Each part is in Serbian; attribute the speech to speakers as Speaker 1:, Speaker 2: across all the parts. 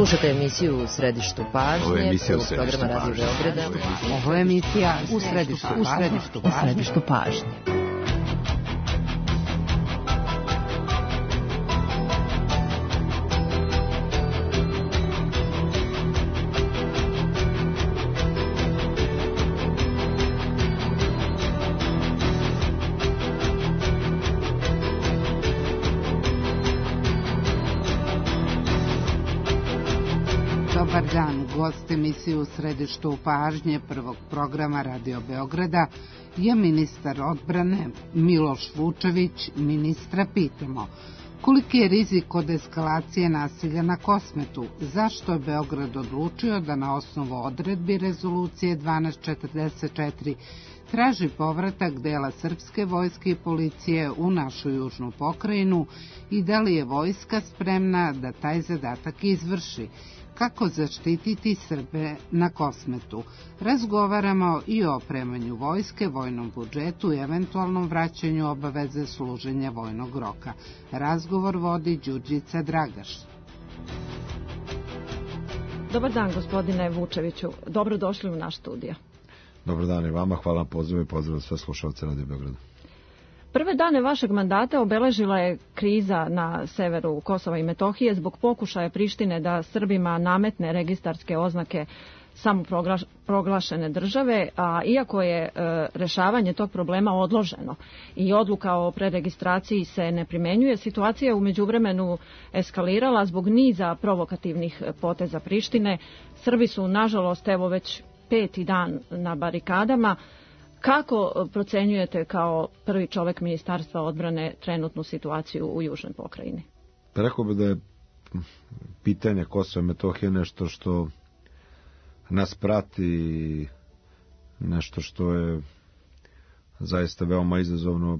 Speaker 1: Slušajte emisiju U središtu pažnje, programa Radio Beograda.
Speaker 2: Ovo je emisija U središtu pažnje. Dobar dan, gost emisije U središtu pažnje prvog programa Radio Beograda je ministar odbrane Miloš Vučević. Ministra pitamo: koliki je rizik od eskalacije nasilja na Kosmetu? Zašto je Beograd odlučio da na osnovu odredbi rezolucije 1244 traži povratak dela srpske vojske i policije u našu južnu pokrajinu i da li je vojska spremna da taj zadatak izvrši? Kako zaštititi Srbe na Kosmetu? Razgovaramo i o opremanju vojske, vojnom budžetu i eventualnom vraćanju obaveze služenja vojnog roka. Razgovor vodi Đurđica Dragaš.
Speaker 3: Dobar dan, gospodine Vučeviću. Dobrodošli u naš studio.
Speaker 4: Dobar dan i vama, hvala na pozivu i pozdrav sve slušalce Radio Beograda.
Speaker 3: Prve dane vašeg mandata obeležila je kriza na severu Kosova i Metohije zbog pokušaja Prištine da Srbima nametne registarske oznake samoproglašene države, a iako je rešavanje tog problema odloženo i odluka o preregistraciji se ne primenjuje, situacija je u međuvremenu eskalirala zbog niza provokativnih poteza Prištine. Srbi su, nažalost, evo već 5. dan na barikadama. Kako procenjujete kao prvi čovek Ministarstva odbrane trenutnu situaciju u južnoj pokrajini?
Speaker 4: Rekao bih da je pitanje Kosova i Metohije nešto što nas prati, nešto što je zaista veoma izazovno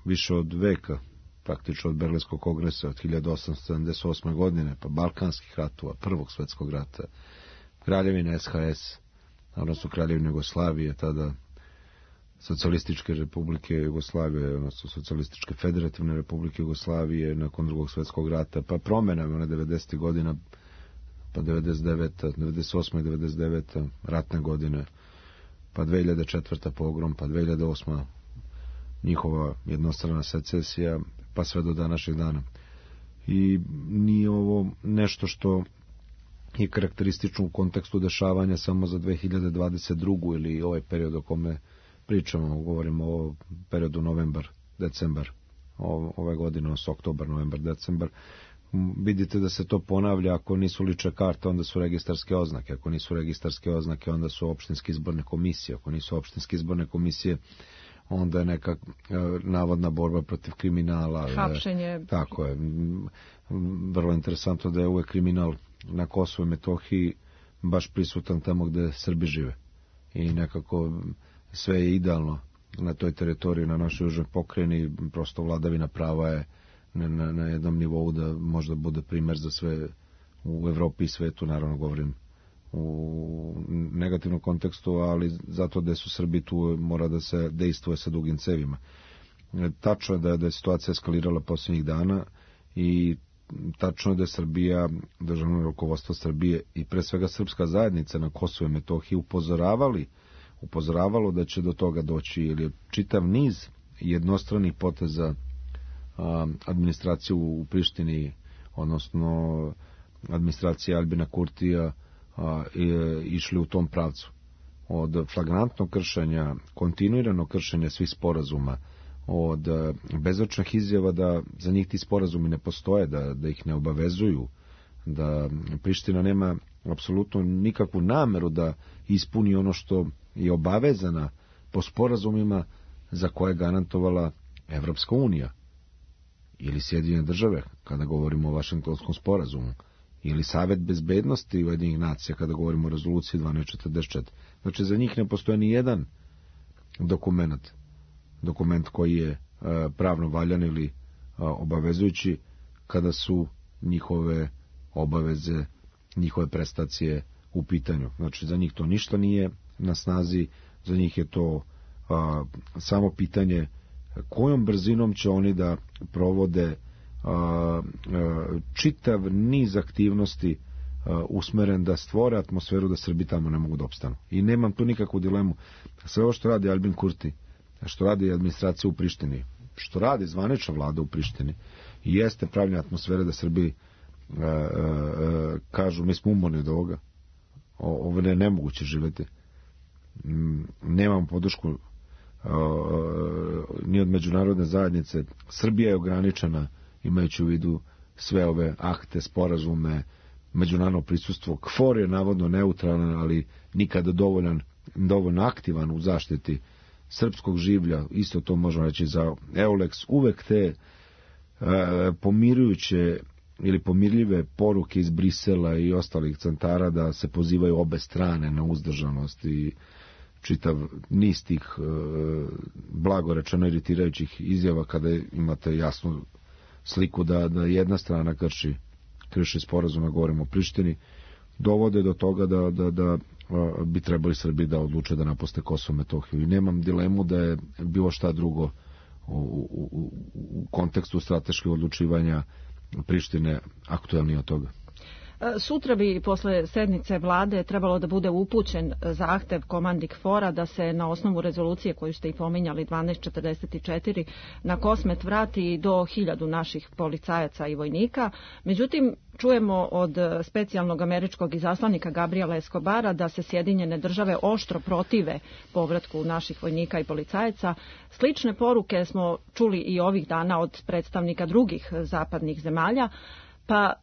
Speaker 4: više od veka, praktično od Berlinskog kongresa od 1878. godine, pa Balkanskih ratova, Prvog svjetskog rata, Kraljevine SHS, odnosno Kraljevine Jugoslavije, tada Socijalističke republike Jugoslavije, odnosno Socijalističke federativne republike Jugoslavije nakon Drugog svjetskog rata, pa promenama 90. godina, pa 99. 98. i 99. ratne godine, pa 2004. pogrom, pa 2008. njihova jednostrana secesija, pa sve do današnjeg dana. I nije ovo nešto što je karakteristično u kontekstu dešavanja samo za 2022. ili ovaj period o kome pričamo, govorimo o periodu novembar-decembar, ove godine, oktobar, novembar, decembar. Vidite da se to ponavlja. Ako nisu lične karte, onda su registarske oznake. Ako nisu registarske oznake, onda su opštinske izborne komisije. Ako nisu opštinske izborne komisije, onda je neka navodna borba protiv kriminala.
Speaker 3: Hapšenje.
Speaker 4: Tako je. Vrlo interesantno da je uvek kriminal na Kosovu i Metohiji baš prisutan tamo gde Srbi žive. I nekako sve je idealno na toj teritoriji, na našoj južnoj pokrajini. Prosto vladavina prava je na jednom nivou da možda bude primer za sve u Evropi i svetu, naravno govorim u negativnom kontekstu, ali zato da su Srbi tu mora da se dejstvuje sa dugim cevima. Tačno je da je situacija eskalirala posljednjih dana i tačno je da je Srbija, državno rukovodstvo Srbije i pre svega srpska zajednica na Kosovu i Metohiji upozoravalo da će do toga doći, jer je čitav niz jednostranih poteza administraciju u Prištini, odnosno administracija Albina Kurtija, išli u tom pravcu. Od flagrantnog kršenja, kontinuiranog kršenja svih sporazuma, od bezočnih izjava da za njih ti sporazumi ne postoje, da ih ne obavezuju, da Priština nema apsolutno nikakvu nameru da ispuni ono što je obavezana po sporazumima za koje je garantovala Evropska unija ili Sjedinjene države kada govorimo o Vašingtonskom sporazumu, ili Savet bezbednosti Ujedinjenih nacija kada govorimo o rezoluciji 1244. Znači za njih ne postoji ni jedan dokument koji je pravno valjan ili obavezujući kada su njihove obaveze, njihove prestacije u pitanju. Znači za njih to ništa nije na snazi, za njih je to samo pitanje kojom brzinom će oni da provode čitav niz aktivnosti usmeren da stvore atmosferu da Srbi tamo ne mogu da opstanu. I nemam tu nikakvu dilemu. Sve ovo što radi Albin Kurti, što radi administracija u Prištini, što radi zvanična vlada u Prištini, jeste pravljena atmosfera da Srbi kažu mi smo umorni od ovoga. Ovo je nemoguće živjeti. Nemamo podršku ni od međunarodne zajednice. Srbija je ograničena imajući u vidu sve ove akte, sporazume, međunarodno prisustvo. KFOR je navodno neutralan, ali nikada dovoljno aktivan u zaštiti srpskog življa. Isto to možemo reći za EULEX. Uvek te pomirujuće ili pomirljive poruke iz Brisela i ostalih centara da se pozivaju obe strane na uzdržanost i čitav niz tih blago rečeno iritirajućih izjava kada imate jasnu sliku da jedna strana krši sporazum, govorimo o Prištini, dovode do toga da bi trebali Srbi da odluče da napuste Kosovo i Metohiju. I nemam dilemu da je bilo šta drugo u kontekstu strateških odlučivanja Prištine aktuelnije od toga.
Speaker 3: Sutra bi posle sednice vlade trebalo da bude upućen zahtev komandi KFOR-a da se na osnovu rezolucije koju ste i pominjali 1244 na Kosmet vrati do 1000 naših policajaca i vojnika. Međutim, čujemo od specijalnog američkog izaslanika Gabriela Escobara da se Sjedinjene države oštro protive povratku naših vojnika i policajaca. Slične poruke smo čuli i ovih dana od predstavnika drugih zapadnih zemalja. Pa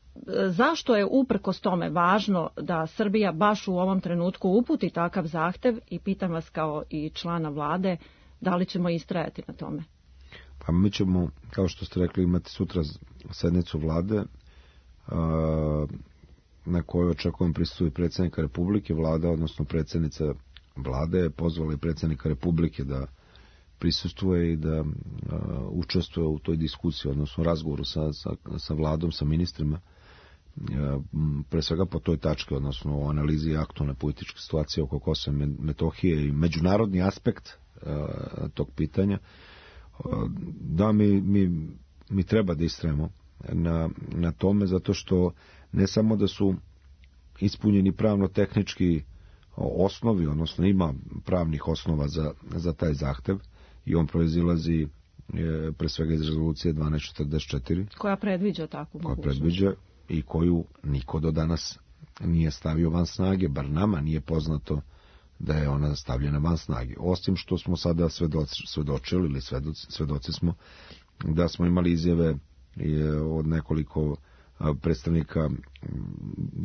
Speaker 3: zašto je uprkos tome važno da Srbija baš u ovom trenutku uputi takav zahtev i pitam vas kao i člana vlade, da li ćemo istrajati na tome?
Speaker 4: Pa mi ćemo, kao što ste rekli, imati sutra sednicu vlade na kojoj očekujem prisustvuju predsjednika Republike. Vlada, odnosno predsjednica vlade je pozvala i predsjednika Republike da prisustvuje i da učestvuje u toj diskusiji, odnosno razgovoru sa vladom, sa ministrima, pre svega po toj tački, odnosno o analizi aktualne političke situacije oko Kosova i Metohije i međunarodni aspekt tog pitanja. Da, mi treba da istrajemo na tome, zato što ne samo da su ispunjeni pravno-tehnički osnovi, odnosno ima pravnih osnova za taj zahtev i on proizilazi pre svega iz rezolucije 1244.
Speaker 3: Koja predviđa takvu mogućnost.
Speaker 4: Koja predviđa i koju niko do danas nije stavio van snage, bar nama nije poznato da je ona stavljena van snage. Osim što smo sada svedočili ili svedoci smo da smo imali izjave od nekoliko predstavnika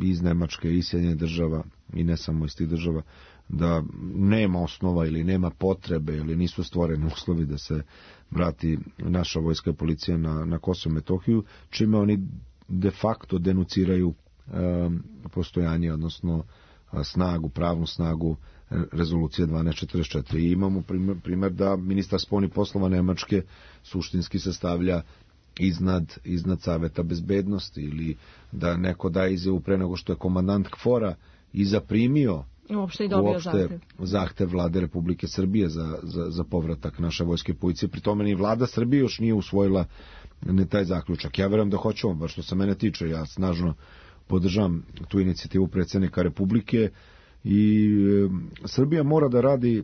Speaker 4: iz Nemačke i Sjedinjenih država i ne samo iz tih država da nema osnova ili nema potrebe ili nisu stvoreni uslovi da se vrati naša vojska i policija na Kosovo i Metohiju, čime oni de facto denuciraju postojanje, odnosno pravnu snagu rezolucije 1244. I imamo primjer da ministar spoljnih poslova Nemačke suštinski se stavlja iznad Saveta bezbednosti ili da neko daje izjavu pre nego što je komandant KFOR-a i zaprimio zahtev vlade Republike Srbije za povratak naše vojske i policije. Pri tome ni vlada Srbije još nije usvojila ni taj zaključak. Ja verujem da hoćemo, baš što se mene tiče, ja snažno podržavam tu inicijativu predsjednika Republike i Srbija mora da radi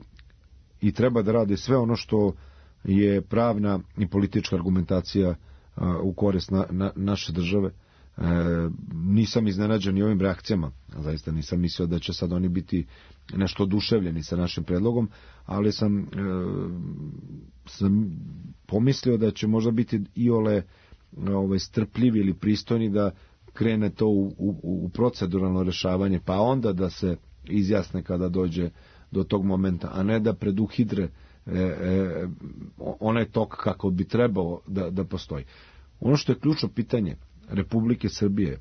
Speaker 4: i treba da radi sve ono što je pravna i politička argumentacija u korist naše države. Nisam iznenađen i ovim reakcijama, zaista nisam mislio da će sad oni biti nešto oduševljeni sa našim predlogom, ali sam pomislio da će možda biti iole strpljivi ili pristojni da krene to u proceduralno rešavanje, pa onda da se izjasne kada dođe do tog momenta, a ne da preduhidre onaj tok kako bi trebao da postoji. Ono što je ključno pitanje Republike Srbije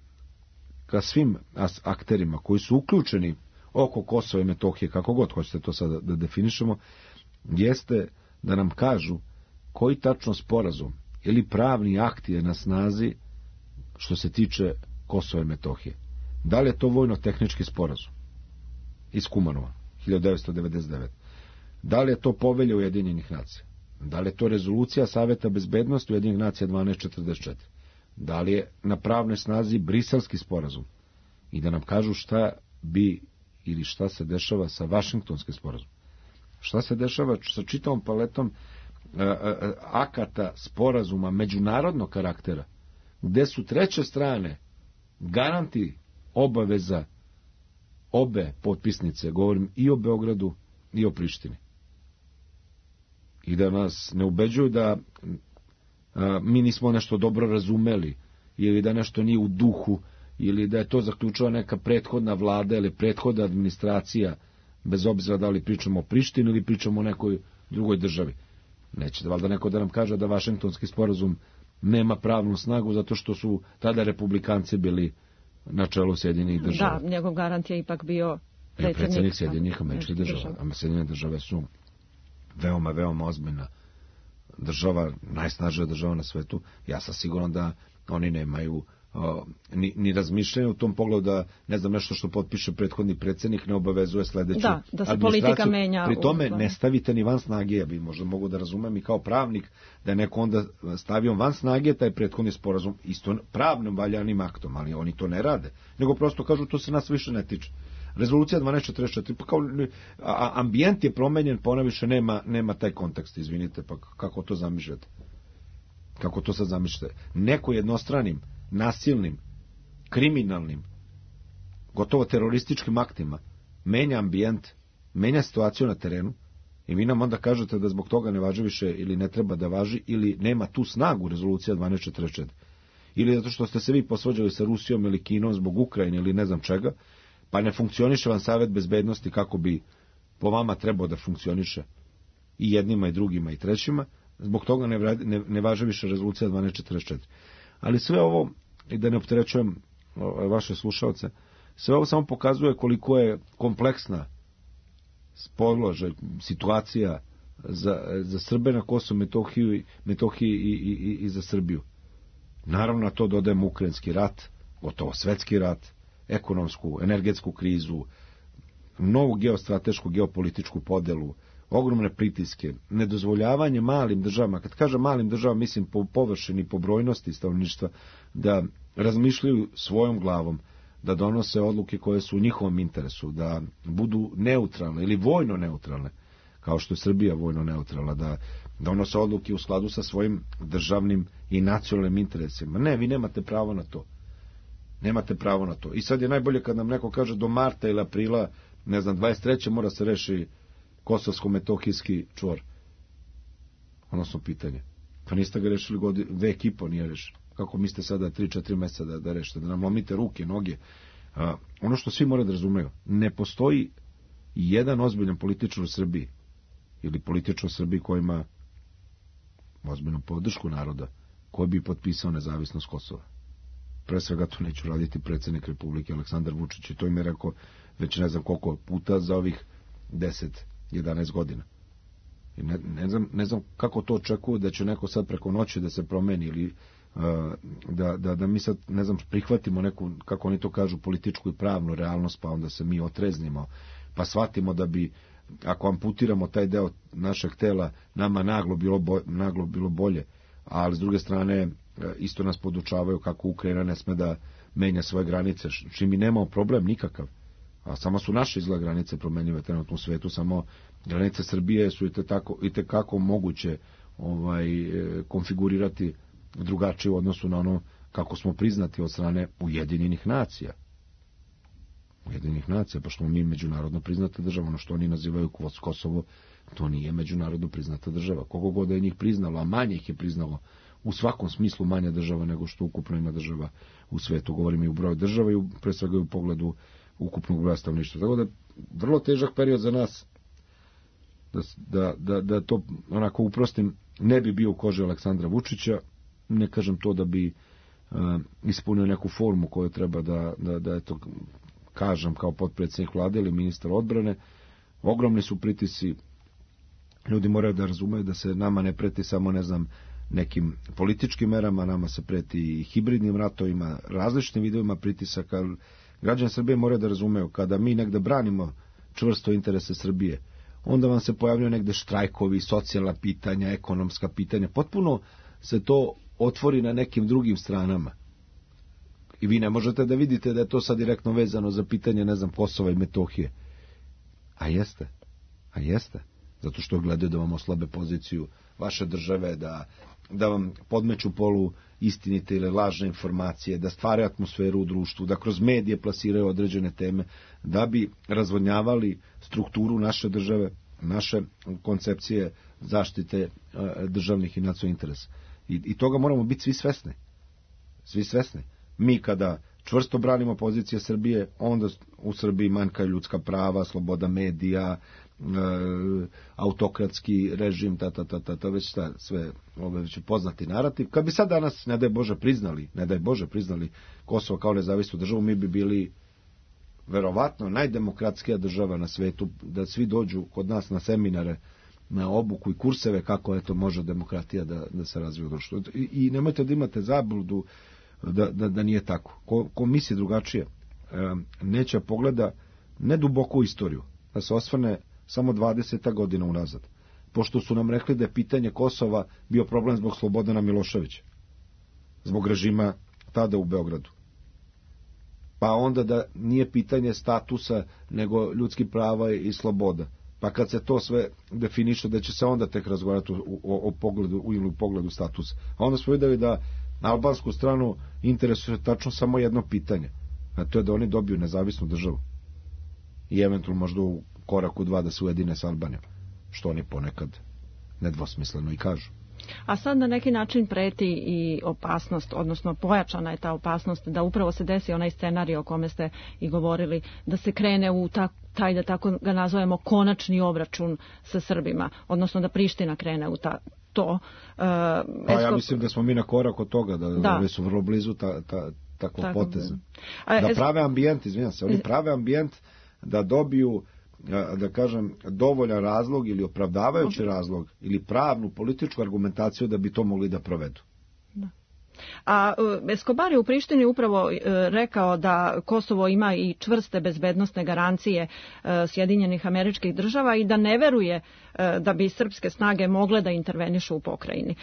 Speaker 4: ka svim akterima koji su uključeni oko Kosova i Metohije, kako god hoćete to sada da definišemo, jeste da nam kažu koji tačno sporazum ili pravni akt je na snazi što se tiče Kosova i Metohije. Da li je to vojno-tehnički sporazum iz Kumanova 1999? Da li je to povelja Ujedinjenih nacija? Da li je to rezolucija Saveta bezbednosti Ujedinjenih nacija 1244? Da li je na pravnoj snazi Briselski sporazum i da nam kažu šta bi ili šta se dešava sa Vašingtonskim sporazumom. Šta se dešava sa čitavom paletom akata sporazuma međunarodnog karaktera, gde su treće strane garanti obaveza obe potpisnice, govorim i o Beogradu i o Prištini. I da nas ne ubeđuju da mi nismo nešto dobro razumeli, ili da nešto nije u duhu, ili da je to zaključila neka prethodna vlada ili prethodna administracija, bez obzira da li pričamo o Prištini ili pričamo o nekoj drugoj državi. Neće da valjda neko da nam kaže da Vašingtonski sporazum nema pravnu snagu zato što su tada republikanci bili na čelu Sjedinjenih država.
Speaker 3: Da, njegov garant je ipak bio
Speaker 4: predsjednik Sjedinjenih američkih država. A Sjedinjene države su veoma, veoma ozbiljna država, najsnažnija država na svetu. Ja sam siguran da oni nemaju ni razmišljaju u tom pogledu da, ne znam, nešto što potpiše prethodni predsjednik ne obavezuje sledeću
Speaker 3: da se politika menja.
Speaker 4: Pri tome ne stavite ni van snage, ja bi možda mogu da razumem i kao pravnik da je neko onda stavio van snage taj prethodni sporazum isto pravnim valjanim aktom, ali oni to ne rade, nego prosto kažu to se nas više ne tiče. Rezolucija 1244, pa kao ambijent je promenjen, pa ona više nema taj kontekst, izvinite, pa kako to zamišljate? Kako to sad zamišljate? Neko jednostranim, nasilnim, kriminalnim, gotovo terorističkim aktima menja ambijent, menja situaciju na terenu i vi nam onda kažete da zbog toga ne važi više ili ne treba da važi ili nema tu snagu rezolucija 1244. Ili zato što ste se vi posvađali sa Rusijom ili Kinom zbog Ukrajine ili ne znam čega, pa ne funkcioniše vam Savet bezbednosti kako bi po vama trebao da funkcioniše i jednima i drugima i trećima, zbog toga ne važi više rezolucija 1244. Ali sve ovo, i da ne opterećujem vaše slušalce, sve ovo samo pokazuje koliko je kompleksna položaj, situacija za Srbe na Kosovu, Metohiji i za Srbiju. Naravno na to dodajemo ukrajinski rat, gotovo svetski rat, ekonomsku, energetsku krizu, novu geostratešku, geopolitičku podelu, ogromne pritiske, nedozvoljavanje malim državama, kad kažem malim državama mislim po površini, po brojnosti stanovništva, da razmišljaju svojom glavom, da donose odluke koje su u njihovom interesu, da budu neutralne ili vojno neutralne, kao što je Srbija vojno neutralna, da donose odluke u skladu sa svojim državnim i nacionalnim interesima. Ne, vi nemate pravo na to. Nemate pravo na to. I sad je najbolje kad nam neko kaže do marta ili aprila, ne znam, 23. mora se reši kosovsko-metohijski čvor. Odnosno pitanje. Pa niste ga rešili vek i po nije rešili. Kako mislite sada 3-4 meseca da rešite, da nam lomite ruke, noge. Ono što svi moraju da razumeju, ne postoji jedan ozbiljan političar u Srbiji ili političar u Srbiji koji ima ozbiljnu podršku naroda koji bi potpisao nezavisnost Kosova. Pre svega to neću raditi predsjednik Republike Aleksandar Vučić i to im je rekao već ne znam koliko puta za ovih 10-11 godina. I ne znam kako to očekuju da će neko sad preko noći da se promeni ili da mi sad, ne znam, prihvatimo neku, kako oni to kažu, političku i pravnu realnost, pa onda se mi otreznimo, pa shvatimo da bi, ako amputiramo taj deo našeg tela, nama naglo bilo bolje, ali s druge strane isto nas podučavaju kako Ukrajina ne sme da menja svoje granice, čim mi nemamo problem nikakav, a samo su naše izgled granice promenjive trenutno u svetu, samo granice Srbije su i tekako moguće konfigurirati drugačije u odnosu na ono kako smo priznati od strane Ujedinjenih nacija. Pa što mi međunarodno priznata država, ono što oni nazivaju Kosovo, to nije međunarodno priznata država. Koliko god je njih priznalo, a manje ih je priznalo, u svakom smislu manja država nego što ukupno ima država u svetu. Govorim i u broju država i pre svega u pogledu ukupnog broja stanovništva. Tako da vrlo težak period za nas da to onako uprostim, ne bi bio u koži Aleksandra Vučića. Ne kažem to da bi ispunio neku formu koju treba da eto, kažem kao potpredsjednik vlade ili ministar odbrane. Ogromni su pritisci, ljudi moraju da razumeju da se nama ne preti samo, ne znam, nekim političkim merama, nama se preti i hibridnim ratovima, različitim vidovima pritisaka. Građani Srbije moraju da razumeju, kada mi negde branimo čvrsto interese Srbije, onda vam se pojavljaju negde štrajkovi, socijalna pitanja, ekonomska pitanja, potpuno se to otvori na nekim drugim stranama. I vi ne možete da vidite da je to sad direktno vezano za pitanje, ne znam, Kosova i Metohije. A jeste. Zato što gledaju da vam oslabe poziciju vaše države, da vam podmeću polu istinite ili lažne informacije, da stvaraju atmosferu u društvu, da kroz medije plasiraju određene teme, da bi razvodnjavali strukturu naše države, naše koncepcije zaštite državnih i nacionalnih interesa. I toga moramo biti svi svesni. Svi svesni. Mi kada čvrsto branimo pozicije Srbije, onda u Srbiji manjkaju ljudska prava, sloboda medija, autokratski režim, već šta, sve već poznati narativ. Kad bi sad danas, ne daj Bože priznali Kosovo kao nezavisnu državu, mi bi bili verovatno najdemokratskija država na svetu, da svi dođu kod nas na seminare, na obuku i kurseve kako eto može demokratija da se razvije u društvu. I nemojte da imate zabludu da nije tako. Ko misli drugačije, neće pogleda ne duboko u istoriju, da se osvrne samo 20 godina unazad. Pošto su nam rekli da je pitanje Kosova bio problem zbog Slobodana Miloševića, zbog režima tada u Beogradu. Pa onda da nije pitanje statusa, nego ljudskih prava i sloboda. Pa kad se to sve definiše, da će se onda tek razgovarati o pogledu statusa. A onda smo videli da na albansku stranu interesuje tačno samo jedno pitanje, a to je da oni dobiju nezavisnu državu. I eventualno možda u koraku 2 da se ujedine sa Albanijom, što oni ponekad nedvosmisleno i kažu.
Speaker 3: A sad na neki način preti i opasnost, odnosno pojačana je ta opasnost da upravo se desi onaj scenarij o kome ste i govorili, da se krene u taj, da tako ga nazovemo, konačni obračun sa Srbima, odnosno da Priština krene u to.
Speaker 4: Ja mislim da smo mi na korak od toga, da oni su vrlo blizu takvog poteza. Da prave ambijent, oni prave ambijent da dobiju, da kažem, dovoljan razlog ili opravdavajući razlog ili pravnu političku argumentaciju da bi to mogli da provedu. Da.
Speaker 3: A Escobar je u Prištini upravo rekao da Kosovo ima i čvrste bezbednosne garancije Sjedinjenih Američkih Država i da ne veruje da bi srpske snage mogle da intervenišu u pokrajini.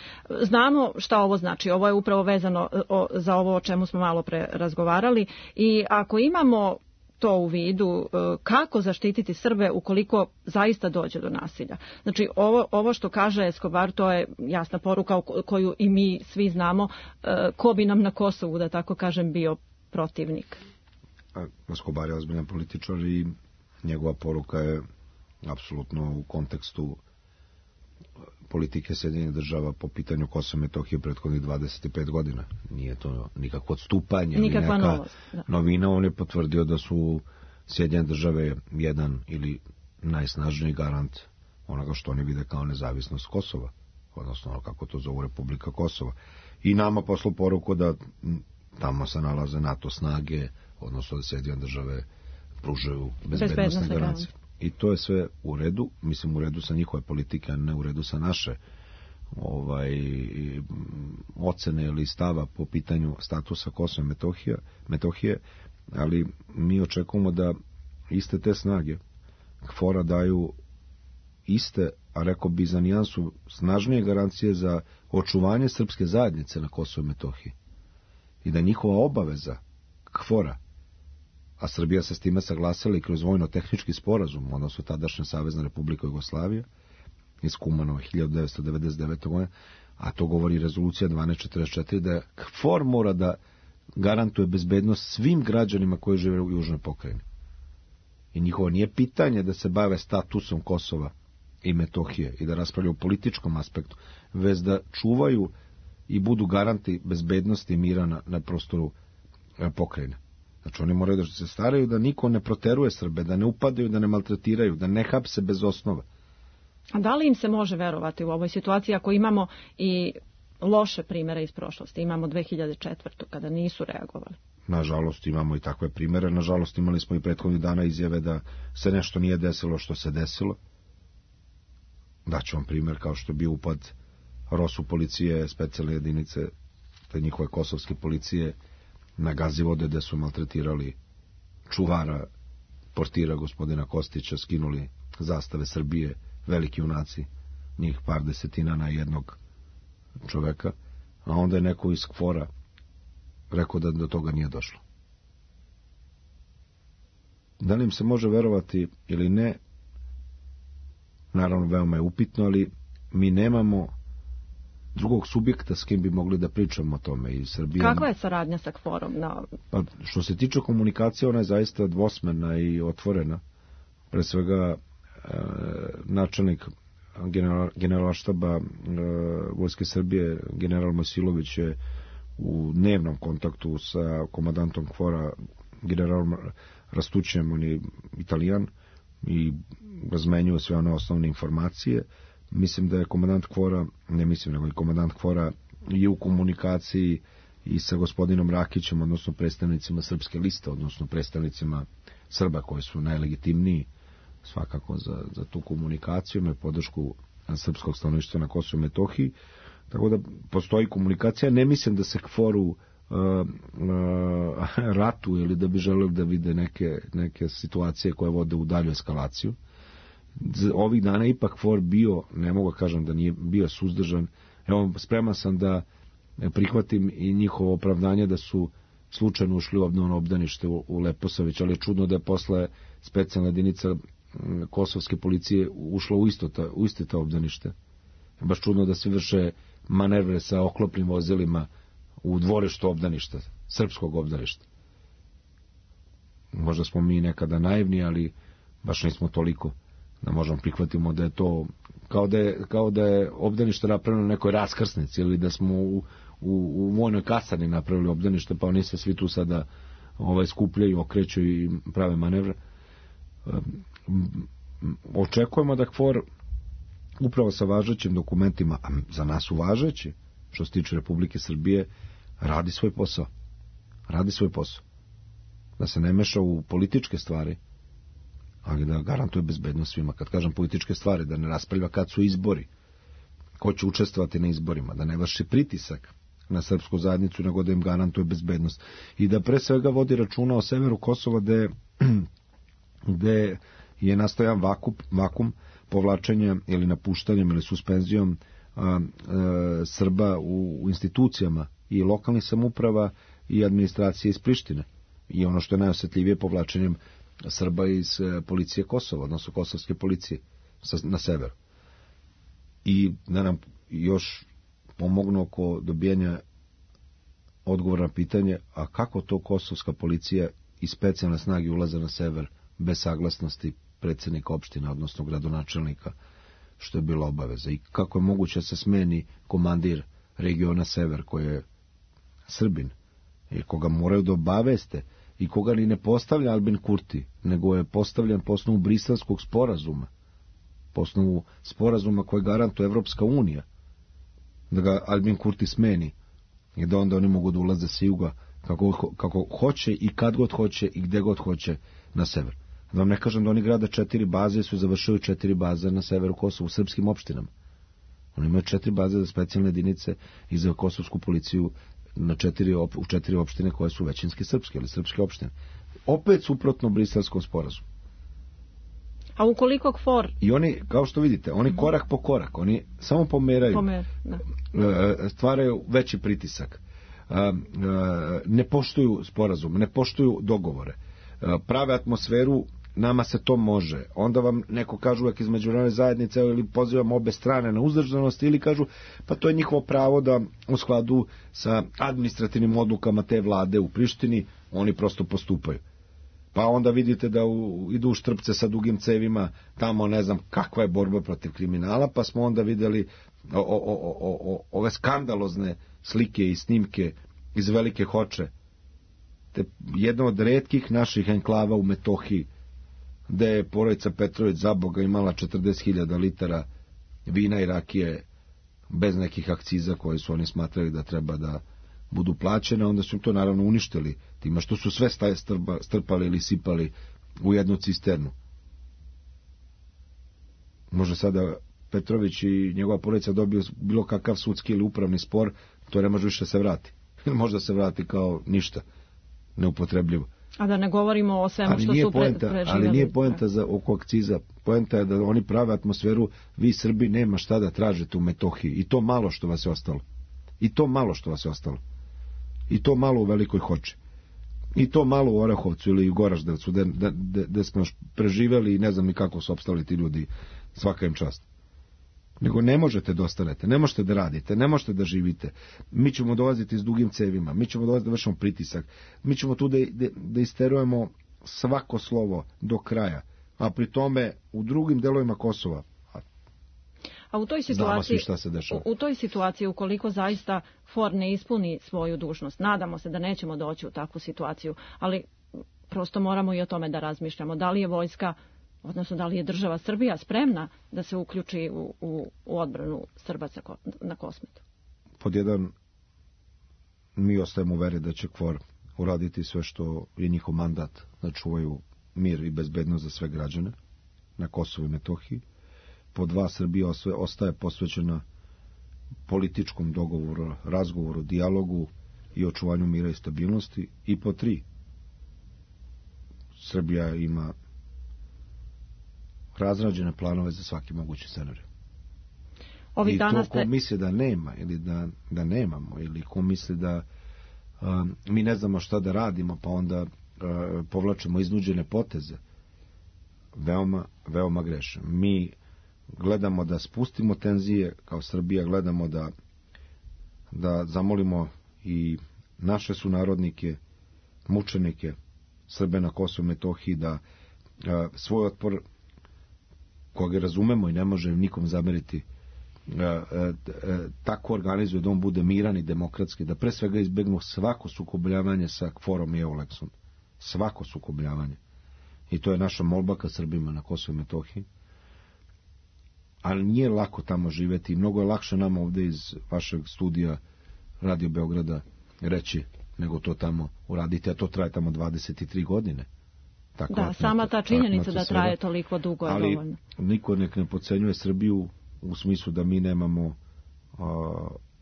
Speaker 3: Znamo šta ovo znači. Ovo je upravo vezano za ovo o čemu smo malo pre razgovarali i ako imamo to u vidu, kako zaštititi Srbe ukoliko zaista dođe do nasilja. Znači, ovo što kaže Escobar, to je jasna poruka koju i mi svi znamo, ko bi nam na Kosovu, da tako kažem, bio protivnik.
Speaker 4: Escobar je ozbiljan političar i njegova poruka je apsolutno u kontekstu politike Sjedinjenih Država po pitanju Kosova i Metohije prethodnih 25 godina. Nije to nikakvo odstupanje, nikakva novost, novina. On je potvrdio da su Sjedinjene Države jedan ili najsnažniji garant onoga što oni vide kao nezavisnost Kosova, odnosno kako to zovu Republika Kosova. I nama poslao poruku da tamo se nalaze NATO snage, odnosno da Sjedinjene Države pružaju bezbednosne garancije. I to je sve u redu, mislim u redu sa njihove politike, a ne u redu sa naše ocene ili stava po pitanju statusa Kosova i Metohije, ali mi očekujemo da iste te snage KFOR-a daju iste, a rekao bi za nijansu snažnije garancije za očuvanje srpske zajednice na Kosovu i Metohiji. I da njihova obaveza KFOR-a, a Srbija se s time saglasila i kroz vojno-tehnički sporazum, odnosno tadašnja Savezna Republika Jugoslavija, iz Kumanova 1999. godine, a to govori rezolucija 1244, da KFOR mora da garantuje bezbednost svim građanima koji žive u južnoj pokrajini. I njihovo nije pitanje da se bave statusom Kosova i Metohije i da raspravljaju o političkom aspektu, već da čuvaju i budu garanti bezbednosti i mira na prostoru pokrajine. Znači oni moraju da se staraju da niko ne proteruje Srbe, da ne upadaju, da ne maltretiraju, da ne hapse bez osnova.
Speaker 3: A da li im se može verovati u ovoj situaciji ako imamo i loše primere iz prošlosti? Imamo 2004. kada nisu reagovali.
Speaker 4: Nažalost imamo i takve primere. Nažalost imali smo i prethodnih dana izjave da se nešto nije desilo što se desilo. Daću vam primjer kao što je bio upad ROSU policije, specijalne jedinice, te njihove kosovske policije na Gazivode, gde su maltretirali čuvara, portira gospodina Kostića, skinuli zastave Srbije, veliki junaci, njih par desetina na jednog čoveka, a onda je neko iz KFOR-a rekao da do toga nije došlo. Da li im se može verovati ili ne, naravno veoma je upitno, ali mi nemamo drugog subjekta s kim bi mogli da pričamo o tome. I Srbija...
Speaker 3: Kakva je saradnja sa KFOR-om?
Speaker 4: Pa, što se tiče komunikacije, ona je zaista dvosmerna i otvorena. Pre svega, načelnik generalštaba Vojske Srbije, general Mojsilović, je u dnevnom kontaktu sa komandantom KFOR-a, generalom Rastućem, on je Italijan, i razmenjuju sve one osnovne informacije. Mislim da je komandant KFOR-a, ne mislim, nego i komandant KFOR-a je u komunikaciji i sa gospodinom Rakićem, odnosno predstavnicima Srpske liste, odnosno predstavnicima Srba koji su najlegitimniji svakako za tu komunikaciju, imaju podršku srpskog stanovništva na Kosovu i Metohiji, tako da postoji komunikacija. Ne mislim da se KFOR-u ratu ili da bi želeli da vide neke situacije koje vode u dalju eskalaciju. Ovih dana ipak KFOR bio, ne mogu kažem da nije bio suzdržan. Evo, spreman sam da prihvatim i njihovo opravdanje da su slučajno ušli u obnovno obdanište u Leposavić, ali je čudno da je posle specijalna jedinica kosovske policije ušla u isto to obdanište. Baš čudno da se vrše manevre sa oklopnim vozilima u dvorištu obdaništa, srpskog obdaništa. Možda smo mi nekada naivni, ali baš nismo toliko da možemo prihvatimo da je to kao da je obdanište napravljeno na nekoj raskrsnici ili da smo u vojnoj kasarni napravili obdanište, pa oni se svi tu sada skupljaju, okreću i prave manevre. Očekujemo da KFOR upravo sa važećim dokumentima, a za nas su važeći, što se tiče Republike Srbije, radi svoj posao. Da se ne meša u političke stvari, ali da garantuje bezbednost svima. Kad kažem političke stvari, da ne raspravlja kad su izbori, ko će učestvovati na izborima, da ne vrši pritisak na srpsku zajednicu, nego da im garantuje bezbednost. I da pre svega vodi računa o severu Kosova, gde je nastao jedan vakum povlačenja ili napuštanjem ili suspenzijom Srba u institucijama i lokalnih samouprava i administracije iz Prištine. I ono što je najosjetljivije, povlačenjem Srba iz policije Kosova, odnosno kosovske policije na severu. I da nam još pomognu oko dobijanja odgovora na pitanje, a kako to kosovska policija i specijalne snage ulaze na sever bez saglasnosti predsjednika opštine, odnosno gradonačelnika, što je bila obaveza. I kako je moguće da se smeni komandir regiona sever, koji je Srbin, i koga moraju da obaveste, i koga ni ne postavlja Albin Kurti, nego je postavljan po osnovu Briselskog sporazuma, po osnovu sporazuma koje garantuje Evropska unija, da ga Albin Kurti smeni i da onda oni mogu da ulaze sa juga kako hoće i kad god hoće i gde god hoće na sever. Da vam ne kažem da oni grade 4 baze, su završili 4 baze na severu Kosova u srpskim opštinama. Oni imaju 4 baze za specijalne jedinice i za kosovsku policiju u 4 opštine koje su većinski srpske ili srpske opštine. Opet suprotno Briselskom sporazumu.
Speaker 3: A ukoliko KFOR...
Speaker 4: I oni, kao što vidite, oni korak po korak, oni samo pomeraju, stvaraju veći pritisak, ne poštuju sporazum, ne poštuju dogovore, prave atmosferu, nama se to može. Onda vam neko kažu uvek iz međunarodne zajednice ili pozivam obe strane na uzdržanost ili kažu pa to je njihovo pravo da u skladu sa administrativnim odlukama te vlade u Prištini oni prosto postupaju. Pa onda vidite da idu u Štrpce sa dugim cevima, tamo ne znam kakva je borba protiv kriminala, pa smo onda videli ove skandalozne slike i snimke iz Velike Hoče, te jedno od retkih naših enklava u Metohiji, gde je porodica Petrović za Boga imala 40.000 litara vina i rakije bez nekih akciza koje su oni smatrali da treba da budu plaćene, onda su im to naravno uništili time što su sve staje strpali ili sipali u jednu cisternu. Može sada Petrović i njegova porodica dobiju bilo kakav sudski ili upravni spor, to ne može više se vrati. Možda se vrati kao ništa, neupotrebljivo.
Speaker 3: A da ne govorimo o svemu što su preživjeli.
Speaker 4: Ali nije poenta oko akciza. Poenta je da oni prave atmosferu, vi Srbi nema šta da tražite u Metohiji. I to malo što vas je ostalo. I to malo u Velikoj Hoči. I to malo u Orahovcu ili u Goraždevcu, gde smo još preživeli i ne znam ni kako su opstali ti ljudi, svaka im čast. Nego ne možete da ostanete, ne možete da radite, ne možete da živite. Mi ćemo dolaziti s dugim cevima, mi ćemo dolaziti da vršimo pritisak, mi ćemo tu da isterujemo svako slovo do kraja, a pri tome u drugim delovima Kosova.
Speaker 3: A u toj situaciji, ukoliko zaista FOR ne ispuni svoju dužnost, nadamo se da nećemo doći u takvu situaciju, ali prosto moramo i o tome da razmišljamo. Da li je vojska, odnosno da li je država Srbija spremna da se uključi u odbranu Srbaca na Kosmetu?
Speaker 4: Pod jedan, mi ostajemo u veri da će KFOR uraditi sve što je njihov mandat, da čuvaju mir i bezbednost za sve građane na Kosovu i Metohiji. Po dva, Srbija ostaje posvećena političkom dogovoru, razgovoru, dijalogu i očuvanju mira i stabilnosti. I po tri, Srbija ima razrađene planove za svaki mogući scenarij. I to ko misli da nema ili da nemamo, ili ko misli da mi ne znamo šta da radimo, pa onda povlačimo iznuđene poteze, veoma, veoma greše. Mi gledamo da spustimo tenzije, kao Srbija gledamo da zamolimo i naše sunarodnike, mučenike, Srbe na Kosovu i Metohiji, da svoj otpor, koga razumemo i ne može nikom zameriti, tako organizuje da on bude miran i demokratski, da pre svega izbegnu svako sukobljavanje sa KFOR-om i EULEX-om. Svako sukobljavanje. I to je naša molba ka Srbima na Kosovu i Metohiji. Ali nije lako tamo živeti i mnogo je lakše nama ovde iz vašeg studija Radio Beograda reći nego to tamo uraditi, a to traje tamo 23 godine.
Speaker 3: Da, sama ta činjenica da traje toliko dugo je dovoljno.
Speaker 4: Ali niko nek ne podcenjuje Srbiju u smislu da mi nemamo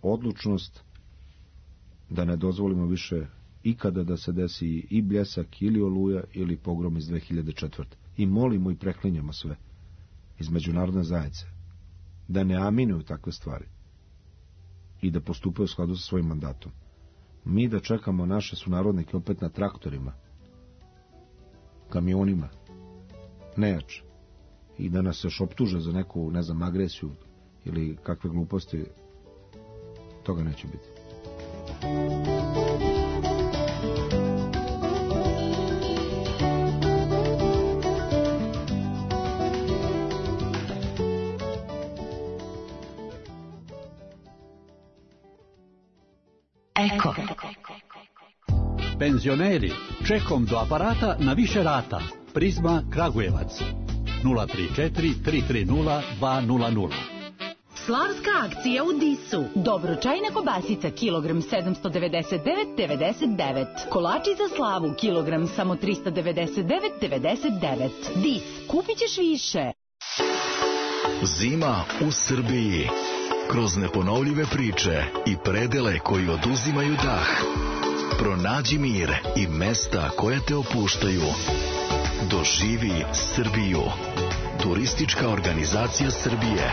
Speaker 4: odlučnost da ne dozvolimo više ikada da se desi i Bljesak ili Oluja ili pogrom iz 2004. I molimo i preklinjamo sve iz međunarodne zajednice da ne aminuju takve stvari i da postupaju u skladu sa svojim mandatom. Mi da čekamo naše sunarodnike opet na traktorima, kamionima, nejače, i da nas još optuže za neku, ne znam, agresiju ili kakve gluposti, toga neće biti.
Speaker 5: Eko. Penzioneri, čekom do aparata na više rata. Prizma Kragujevac 034 330 200.
Speaker 6: Slavska akcija u Disu. Dobročajna kobasica kilogram 799,99. Kolači za slavu kilogram samo 399,99. Dis, kupit ćeš više.
Speaker 7: Zima u Srbiji. Kroz neponovljive priče i predele koji oduzimaju dah. Pronađi mir i mesta koja te opuštaju. Doživi Srbiju. Turistička organizacija Srbije.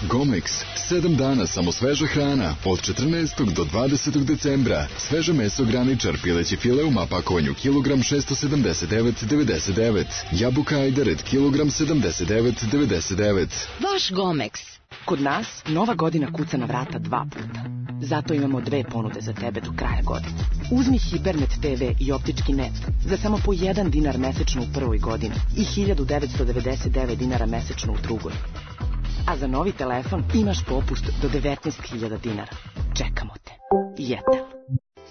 Speaker 8: Gomex, 7 dana samo sveža hrana, od 14. do 20. decembra. Sveže meso graničar, pileći file u mapakovanju kilogram 679,99. Jabuka Ajdaret, kilogram 79,99.
Speaker 6: Vaš Gomex. Kod nas Nova godina kuca na vrata 2 puta. Zato imamo 2 ponude za tebe do kraja godine. Uzmi Hipernet TV i optički net za samo po 1 dinar mesečno u prvoj godini i 1999 dinara mesečno u drugoj. A za novi telefon imaš popust do 19.000 dinara. Čekamo te. Jetel.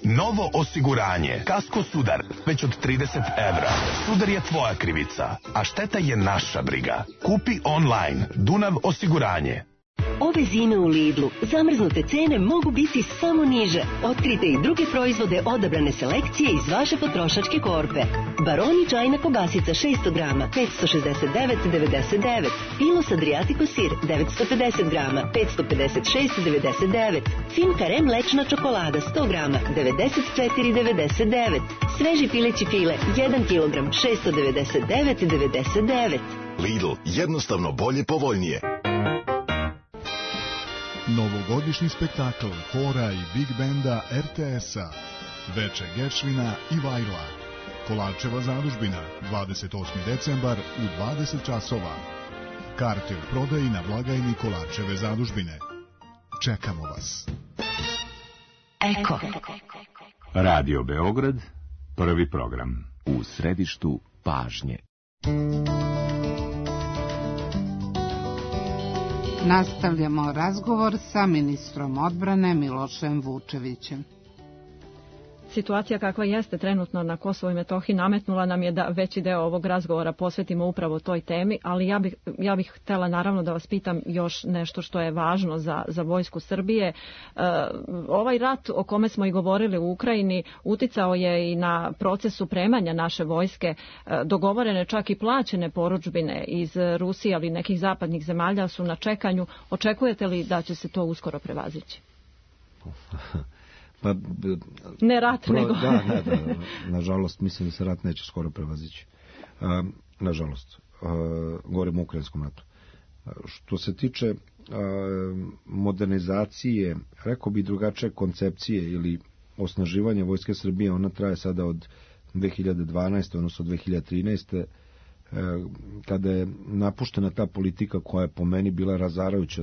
Speaker 9: Novo osiguranje. Kasko Sudar. Već od 30 evra. Sudar je tvoja krivica, a šteta je naša briga. Kupi online. Dunav osiguranje.
Speaker 10: Ove zime u Lidlu zamrznute cene mogu biti samo niže. Otkrite i druge proizvode odabrane selekcije iz vaše potrošačke korpe. Baroni čajna kobasica 600 grama 569,99. Pilos Adriatico sir 950 grama 556,99. Fin Kare mlečna čokolada 100 grama 94,99. Sveži pileći file 1 kilogram 699,99.
Speaker 7: Lidl, jednostavno bolje, povoljnije.
Speaker 5: Novo
Speaker 11: Novogodišnji spektakl hora i big benda RTS-a, Veče Geršvina i Vajla, Kolarčeva zadužbina, 28. decembar u 20 časova. Karte u prodaji na blagajni Kolarčeve zadužbine. Čekamo vas.
Speaker 10: Eko.
Speaker 12: Radio Beograd, prvi program.
Speaker 13: U središtu pažnje.
Speaker 2: Nastavljamo razgovor sa ministrom odbrane Milošem Vučevićem.
Speaker 3: Situacija kakva jeste trenutno na Kosovu i Metohiji nametnula nam je da veći deo ovog razgovora posvetimo upravo toj temi, ali ja bih htjela naravno da vas pitam još nešto što je važno za vojsku Srbije. Ovaj rat o kome smo i govorili u Ukrajini uticao je i na proces supremanja naše vojske. Dogovorene čak i plaćene porudžbine iz Rusije, ali i nekih zapadnih zemalja su na čekanju. Očekujete li da će se to uskoro prevazići?
Speaker 4: Pa,
Speaker 3: ne rat, nego...
Speaker 4: Da, nažalost, mislim da se rat neće skoro prevazići. Nažalost, govorim o ukrajinskom ratu. Što se tiče modernizacije, rekao bi drugačije koncepcije ili osnaživanje vojske Srbije, ona traje sada od 2012. odnosno 2013. Kada je napuštena ta politika koja je po meni bila razarajuća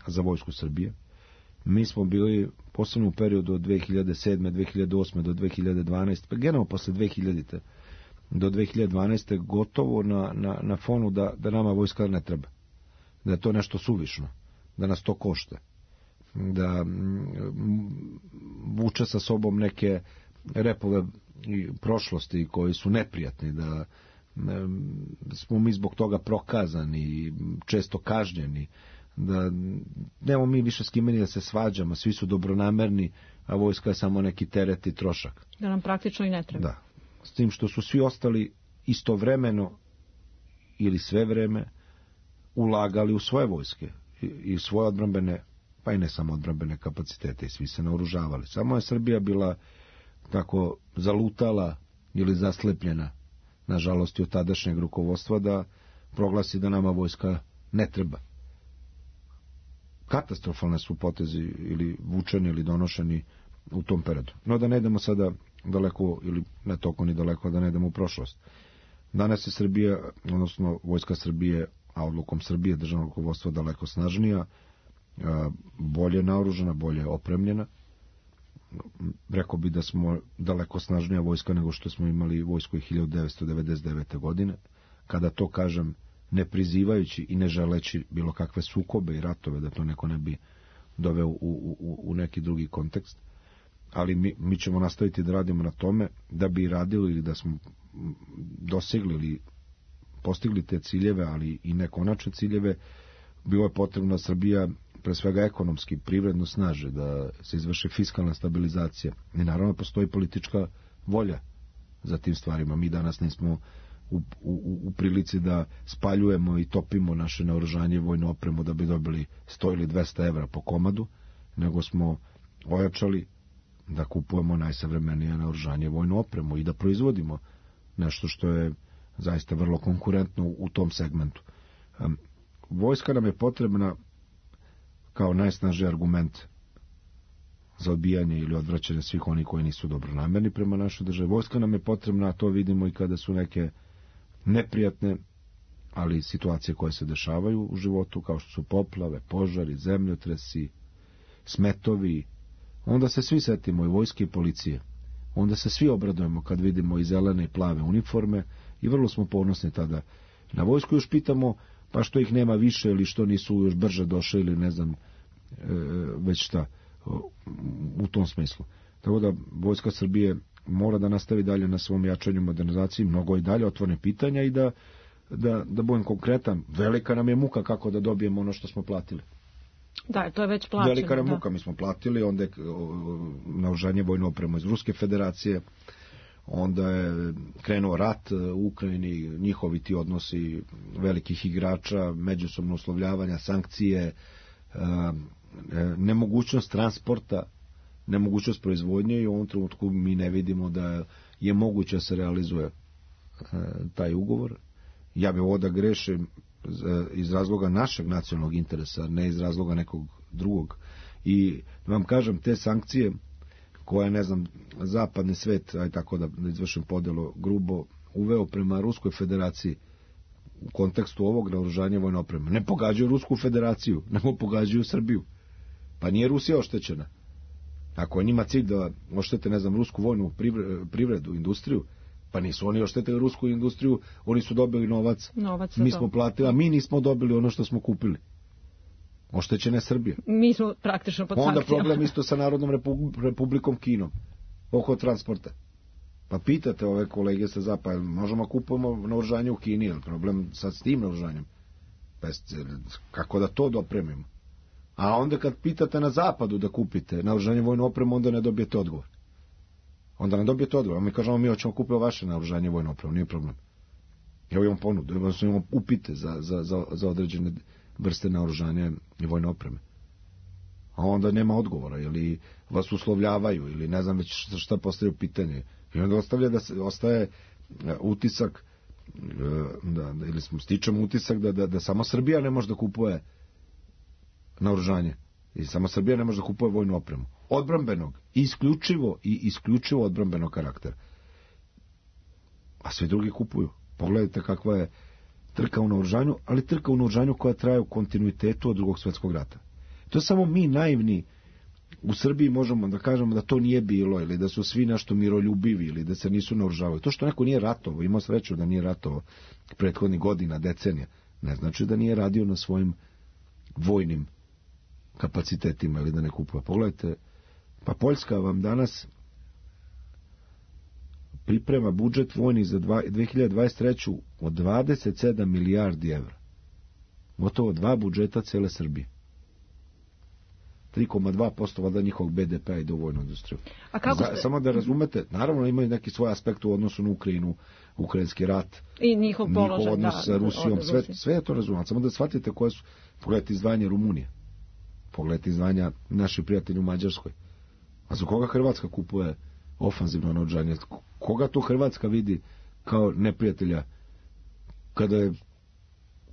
Speaker 4: za vojsku Srbije. Mi smo bili, posebno u periodu od 2007. 2008. do 2012. pa generalno posle 2000. do 2012. gotovo na fonu da nama vojska ne treba. Da je to nešto suvišno. Da nas to košta. Da vuče sa sobom neke repove prošlosti koji su neprijatni. Da smo mi zbog toga prokazani, često kažnjeni. Da nemamo mi više s kime ni da se svađamo, svi su dobronamerni, a vojska je samo neki teret i trošak.
Speaker 3: Da nam praktično i ne treba.
Speaker 4: Da. S tim što su svi ostali istovremeno ili sve vreme ulagali u svoje vojske i svoje odbrambene, pa i ne samo odbrambene kapacitete, i svi se naoružavali. Samo je Srbija bila tako zalutala ili zaslepljena, nažalost i od tadašnjeg rukovodstva, da proglasi da nama vojska ne treba. Katastrofalne su potezi ili vučeni ili donošeni u tom periodu. No da ne idemo sada daleko ili ne toliko ni daleko, da ne idemo u prošlost. Danas je Srbija, odnosno vojska Srbije, a odlukom Srbije državnog rukovodstva daleko snažnija, bolje naoružana, bolje opremljena. Rekao bi da smo daleko snažnija vojska nego što smo imali vojsku i 1999. godine. Kada to kažem, ne prizivajući i ne želeći bilo kakve sukobe i ratove, da to neko ne bi doveo u neki drugi kontekst. Ali mi ćemo nastaviti da radimo na tome, da bi radili ili da smo dosegli ili postigli te ciljeve, ali i nekonačne ciljeve. Bilo je potrebno da Srbija pre svega ekonomski, privredno snaže, da se izvrši fiskalna stabilizacija. I naravno postoji politička volja za tim stvarima. Mi danas nismo u prilici da spaljujemo i topimo naše naoružanje i vojnu opremu da bi dobili 100 ili 200 evra po komadu, nego smo ojačali da kupujemo najsavremenije naoružanje i vojnu opremu i da proizvodimo nešto što je zaista vrlo konkurentno u tom segmentu. Vojska nam je potrebna kao najsnažniji argument za odbijanje ili odvraćanje svih onih koji nisu dobronamerni prema našoj državi. Vojska nam je potrebna, a to vidimo i kada su neke neprijatne, ali situacije koje se dešavaju u životu, kao što su poplave, požari, zemljotresi, smetovi. Onda se svi setimo i vojske i policije. Onda se svi obradujemo kad vidimo i zelene i plave uniforme i vrlo smo ponosni tada na vojsku. Još pitamo pa što ih nema više ili što nisu još brže došli ili ne znam već šta u tom smislu. Tako da vojska Srbije mora da nastavi dalje na svom jačanju, modernizaciji, mnogo i dalje otvorene pitanja i da budem konkretan. Velika nam je muka kako da dobijemo ono što smo platili.
Speaker 3: Da, to je već plaćeno.
Speaker 4: Velika nam muka, mi smo platili, onda je naoružanje vojnu opremu iz Ruske federacije, onda je krenuo rat u Ukrajini, njihovi ti odnosi velikih igrača, međusobno uslovljavanja, sankcije, nemogućnost transporta, nemogućnost proizvodnje i u ovom trenutku mi ne vidimo da je moguće da se realizuje taj ugovor. Ja bih ovo da grešim iz razloga našeg nacionalnog interesa, ne iz razloga nekog drugog I vam kažem, te sankcije koje, ne znam, zapadni svet, aj tako da izvršim podelu grubo, uveo prema Ruskoj federaciji u kontekstu ovog naoružanja vojne opreme, ne pogađaju Rusku federaciju, nego pogađaju Srbiju. Pa nije Rusija oštećena. Ako je njima cilj da oštete, ne znam, rusku vojnu privredu, industriju, pa nisu oni oštetili rusku industriju, oni su dobili novac mi smo platili, a mi nismo dobili ono što smo kupili. Oštećena je Srbija.
Speaker 3: Mi smo praktično pod sankcijama.
Speaker 4: Onda problem isto sa Narodnom republikom Kinom, oko transporta. Pa pitate ove kolege sa zapada, možemo kupujemo naoružanje u Kini, je problem sad s tim naoružanjem? Kako da to dopremimo? A onda kad pitate na zapadu da kupite naoružanje vojnu opremu, onda ne dobijete odgovor. A mi kažemo, mi hoćemo kupiti vaše naoružanje vojnu opremu, nije problem. Evo imam ponudu, imamo upite za određene vrste naoružanja i vojne opreme. A onda nema odgovora, ili vas uslovljavaju, ili ne znam već šta postavljaju pitanje. I onda ostaje utisak, ili stičemo utisak da samo Srbija ne može da kupuje naoružanje. I samo Srbija ne može da kupuje vojnu opremu. Odbrambenog, isključivo odbrambenog karaktera. A svi drugi kupuju. Pogledajte kakva je trka u naoružanju, ali trka u naoružanju koja traje u kontinuitetu od Drugog svjetskog rata. To je samo mi naivni u Srbiji možemo da kažemo da to nije bilo, ili da su svi nešto miroljubivi, ili da se nisu naoružavali. To što neko nije ratovao, imao sreću da nije ratovao prethodnih godina, decenija, ne znači da nije radio na svojim vojnim kapacitetima ili da ne kupuje. Pogledajte, pa Poljska vam danas priprema budžet vojni za 2023. od 27 milijardi evra. Gotovo 2 budžeta cele Srbije. 3,2% vada njihovog BDP-a ide u vojnu industriju. Samo da razumete, naravno imaju neki svoj aspekt u odnosu na Ukrajinu, ukrajinski rat,
Speaker 3: i njihov
Speaker 4: odnos sa Rusijom, sve je to razumno. Samo da shvatite koje su, pogledajte izdvajanje Rumunije, pogledajte izdvajanja naših prijatelja u Mađarskoj. A za koga Hrvatska kupuje ofanzivno naoružanje? Koga to Hrvatska vidi kao neprijatelja kada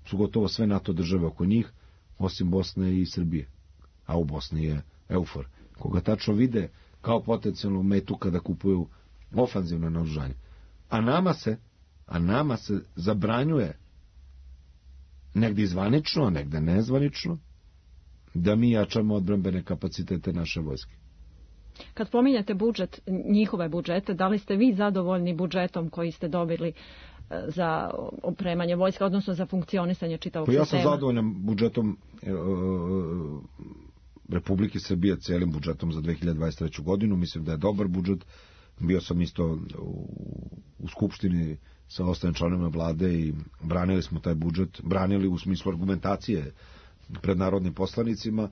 Speaker 4: su gotovo sve NATO države oko njih, osim Bosne i Srbije? A u Bosni je EUFOR. Koga tačno vide kao potencijalnu metu kada kupuju ofanzivno naoružanje. A nama se zabranjuje negdje zvanično, a negdje nezvanično, da mi jačamo odbrambene kapacitete naše vojske.
Speaker 3: Kad pominjate budžet, njihove budžete, da li ste vi zadovoljni budžetom koji ste dobili za opremanje vojska, odnosno za funkcionisanje čitavog sistema?
Speaker 4: Ja sam zadovoljan budžetom Republike Srbije, cijelim budžetom za 2023. godinu. Mislim da je dobar budžet. Bio sam isto u Skupštini sa ostalim članovima vlade i branili smo taj budžet. Branili u smislu argumentacije pred narodnim poslanicima.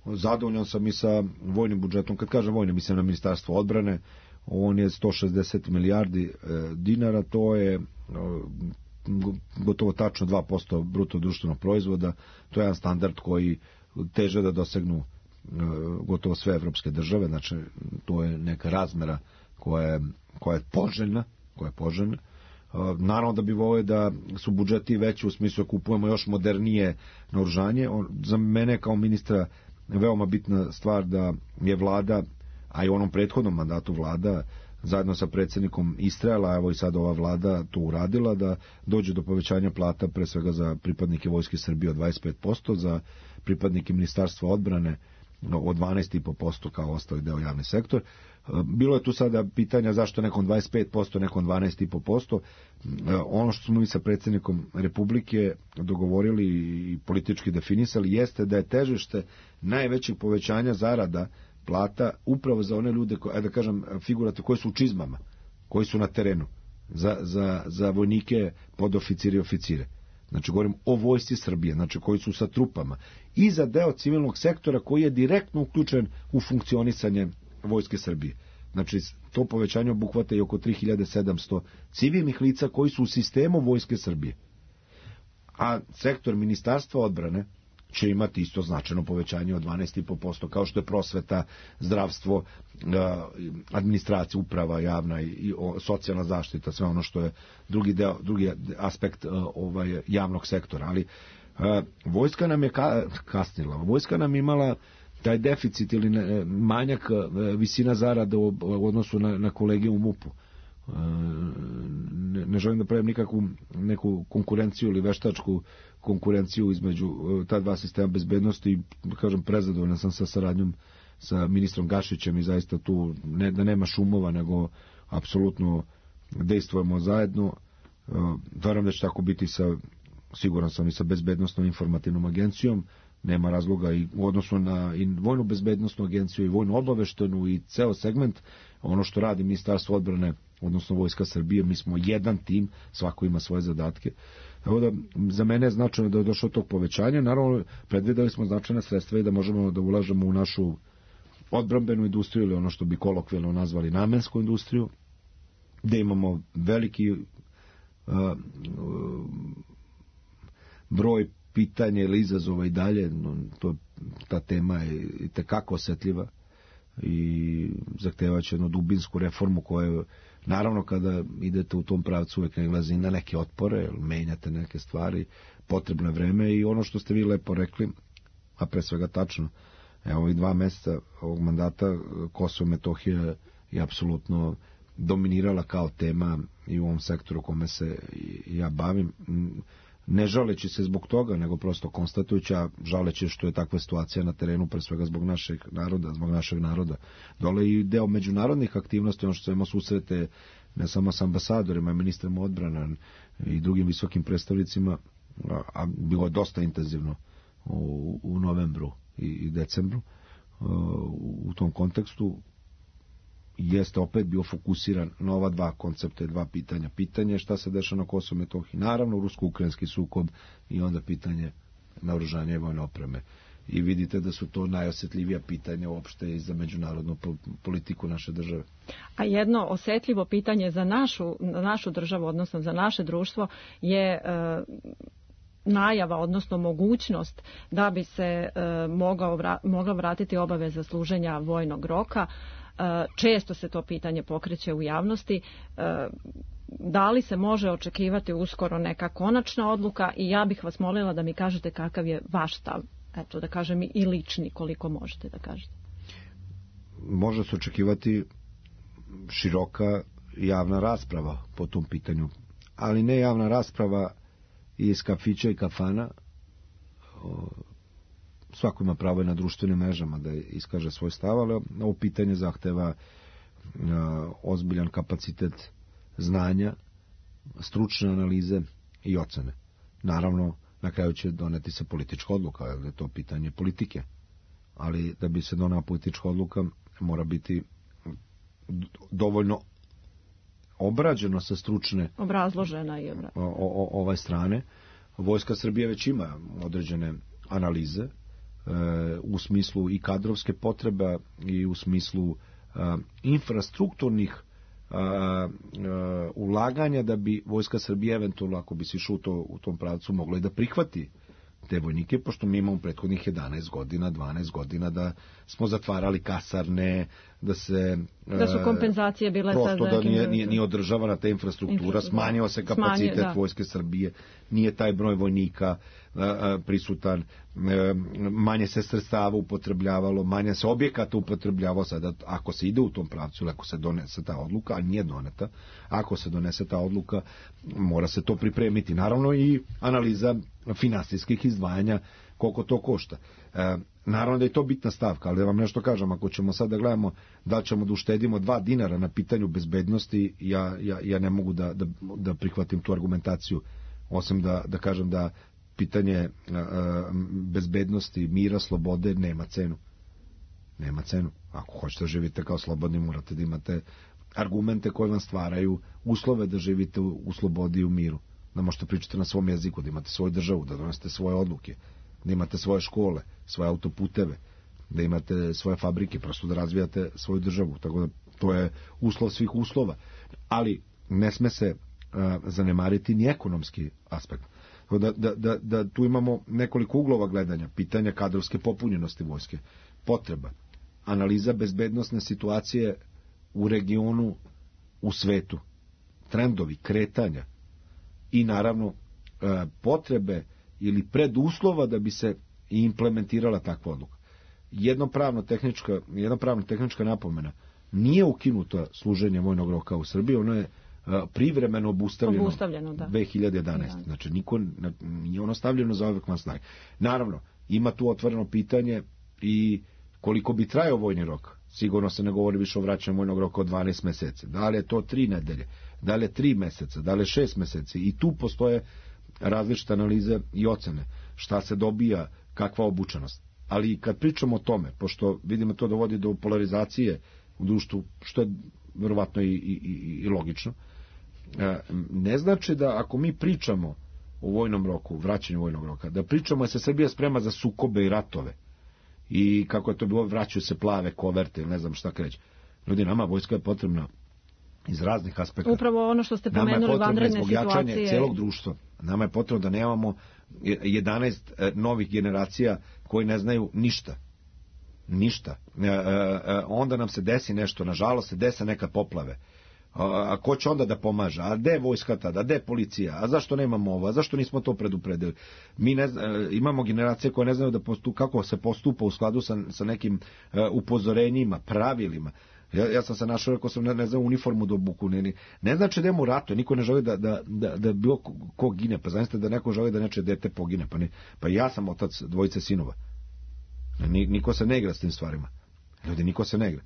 Speaker 4: Zadovoljan sam i sa vojnim budžetom. Kad kažem vojnim, mislim na Ministarstvo odbrane. On je 160 milijardi dinara. To je gotovo tačno 2% bruto društvenog proizvoda. To je jedan standard koji teže da dosegnu gotovo sve evropske države. Znači, to je neka razmera koja je poželjna. Naravno da bi volio da su budžeti veći u smislu da kupujemo još modernije naoružanje. Za mene kao ministra veoma bitna stvar da je vlada, a i u onom prethodnom mandatu vlada, zajedno sa predsjednikom istrajala, evo i sad ova vlada to uradila, da dođe do povećanja plata pre svega za pripadnike Vojske Srbije od 25%, za pripadnike Ministarstva odbrane od 12,5% kao ostali deo javni sektor. Bilo je tu sada pitanja zašto nekom 25%, nekom 12,5%. Ono što smo mi sa predsjednikom Republike dogovorili i politički definisali jeste da je težište najvećih povećanja zarada plata upravo za one ljude, da kažem figurate, koji su u čizmama, koji su na terenu, za vojnike, podoficire i oficire. Znači govorim o vojsci Srbije, znači koji su sa trupama, i za deo civilnog sektora koji je direktno uključen u funkcionisanje Vojske Srbije. Znači to povećanje obuhvata i oko 3700 civilnih lica koji su u sistemu Vojske Srbije. A sektor Ministarstva odbrane će imati isto značajno povećanje od 12,5%, kao što je prosveta, zdravstvo, administracija, uprava javna i socijalna zaštita, sve ono što je drugi aspekt javnog sektora. Ali vojska nam je kasnila. Vojska nam imala taj deficit ili manjak visina zarada u odnosu na kolege u MUP-u. Ne želim da pravim neku konkurenciju ili veštačku konkurenciju između ta dva sistema bezbednosti i, da kažem, prezadovoljan sam sa saradnjom sa ministrom Gašićem i zaista tu da nema šumova, nego apsolutno dejstvujemo zajedno. Verujem da će tako biti siguran sam i sa bezbednostnom informativnom agencijom. Nema razloga i u odnosu na i vojnu bezbednostnu agenciju i vojnu obaveštenu i ceo segment, ono što radi Ministarstvo odbrane, odnosno Vojska Srbije, mi smo jedan tim, svako ima svoje zadatke. Evo da, za mene je značajno da je došlo tog povećanja. Naravno, predvideli smo značajna sredstva i da možemo da ulažemo u našu odbrambenu industriju ili ono što bi kolokvijalno nazvali namensku industriju, gde imamo veliki broj pitanja ili izazova i dalje. Ta tema je i tekako osetljiva i zahtevaće jednu dubinsku reformu koja, naravno, kada idete u tom pravcu uvek nailazi na neke otpore, menjate neke stvari, potrebno je vreme i ono što ste vi lepo rekli, a pre svega tačno, evo ovih 2 meseca ovog mandata Kosovo i Metohija je apsolutno dominirala kao tema i u ovom sektoru kome se ja bavim, ne žaleći se zbog toga, nego prosto konstatujući, a žaleći što je takva situacija na terenu, pre svega zbog našeg naroda. Dole i deo međunarodnih aktivnosti, ono što imamo susrete ne samo s ambasadorima, ministrima odbrana i drugim visokim predstavnicima, a bilo je dosta intenzivno u novembru i decembru. U tom kontekstu jeste opet bio fokusiran na ova dva koncepta i dva pitanja. Pitanje šta se dešava na Kosovu i Metohiji, naravno rusko-ukrajinski sukob i onda pitanje naoružanja i vojne opreme. I vidite da su to najosjetljivija pitanja uopšte i za međunarodnu politiku naše države.
Speaker 3: A jedno osjetljivo pitanje za našu državu, odnosno za naše društvo, je najava, odnosno mogućnost da bi se mogla vratiti obaveza služenja vojnog roka. Često se to pitanje pokreće u javnosti. Da li se može očekivati uskoro neka konačna odluka i ja bih vas molila da mi kažete kakav je vaš stav, eto da kažem i lični koliko možete da kažete.
Speaker 4: Može se očekivati široka javna rasprava po tom pitanju, ali ne javna rasprava iz kafića i kafana. Svako ima pravo i na društvenim mrežama da iskaže svoj stav, ali ovo pitanje zahteva ozbiljan kapacitet znanja, stručne analize i ocene. Naravno, na kraju će doneti se politička odluka, jer je to pitanje politike. Ali da bi se donela politička odluka, mora biti dovoljno obrađeno sa stručne
Speaker 3: obrazložena i
Speaker 4: ovaj strane. Vojska Srbije već ima određene analize u smislu i kadrovske potrebe i u smislu infrastrukturnih ulaganja da bi Vojska Srbije eventualno, ako bi se išlo u tom pravcu, mogla i da prihvati te vojnike, pošto mi imamo prethodnih 11 godina, 12 godina da smo zatvarali kasarne, da
Speaker 3: su kompenzacije bile
Speaker 4: prosto da nije održavana ta infrastruktura, smanjio se kapacitet Vojske Srbije, nije taj broj vojnika prisutan, manje se sredstava upotrebljavalo, manje se objekata upotrebljavalo. Sada, ako se ide u tom pravcu, ako se donese ta odluka, a nije doneta, ako se donese ta odluka, mora se to pripremiti. Naravno i analiza finansijskih izdvajanja, koliko to košta. Naravno da je to bitna stavka, ali da vam nešto kažem, ako ćemo sad da gledamo da ćemo da uštedimo 2 dinara na pitanju bezbednosti, ja ne mogu da prihvatim tu argumentaciju, osim da kažem da pitanje bezbednosti, mira, slobode nema cenu. Nema cenu. Ako hoćete da živite kao slobodni, morate da imate argumente koje vam stvaraju uslove da živite u slobodi i u miru. Da možete pričati na svom jeziku, da imate svoju državu, da donesete svoje odluke, da imate svoje škole, svoje autoputeve, da imate svoje fabrike, prosto da razvijate svoju državu. Tako da to je uslov svih uslova. Ali ne sme se zanemariti ni ekonomski aspekt. Da tu imamo nekoliko uglova gledanja, pitanja kadrovske popunjenosti vojske, potreba, analiza bezbednosne situacije u regionu, u svetu, trendovi, kretanja i naravno potrebe ili preduslova da bi se implementirala takva odluka. jedna pravno-tehnička napomena. Nije ukinuto služenje vojnog roka u Srbiji, ono je privremeno obustavljeno 2011. Da. Znači, nije ono stavljeno za uvek van snage. Naravno, ima tu otvoreno pitanje i koliko bi trajao vojni rok. Sigurno se ne govori više o vraćanju vojnog roka od 12 meseci. Da li je to 3 nedelje, da li je 3 meseca, da li je 6 meseci. I tu postoje različite analize i ocene. Šta se dobija, kakva obučenost. Ali kad pričamo o tome, pošto vidimo to dovodi do polarizacije u društvu, što je verovatno i logično, ne znači da ako mi pričamo o vojnom roku, vraćanju vojnog roka, da pričamo da se Srbija sprema za sukobe i ratove i kako je to bilo, vraćaju se plave koverte ili ne znam šta kreće. Ljudi, nama vojska je potrebna iz raznih aspekta.
Speaker 3: Upravo ono što ste pomenuli, vanredne situacije. Nama je potrebno zbog jačanja celog društva. Nama je potrebno da nemamo 11 novih generacija koji ne znaju ništa. Onda nam se desi nešto, nažalost se dese neka poplave. A ko će onda da pomaže? A gde je vojska tada? A gde je policija? A zašto nemamo ovo? A zašto nismo to predupredili? Mi imamo generacije koje ne znaju kako se postupa u skladu sa nekim upozorenjima, pravilima. Ja sam se našao, rekao sam, ne znam, uniformu do obuku. Ne znači da imamo u ratu, niko ne želi da bilo ko gine. Pa znašte da neko želi da neče dete pogine. Pa ja sam otac dvojice sinova. Niko se ne igra s tim stvarima. Ljudi, niko se ne igra.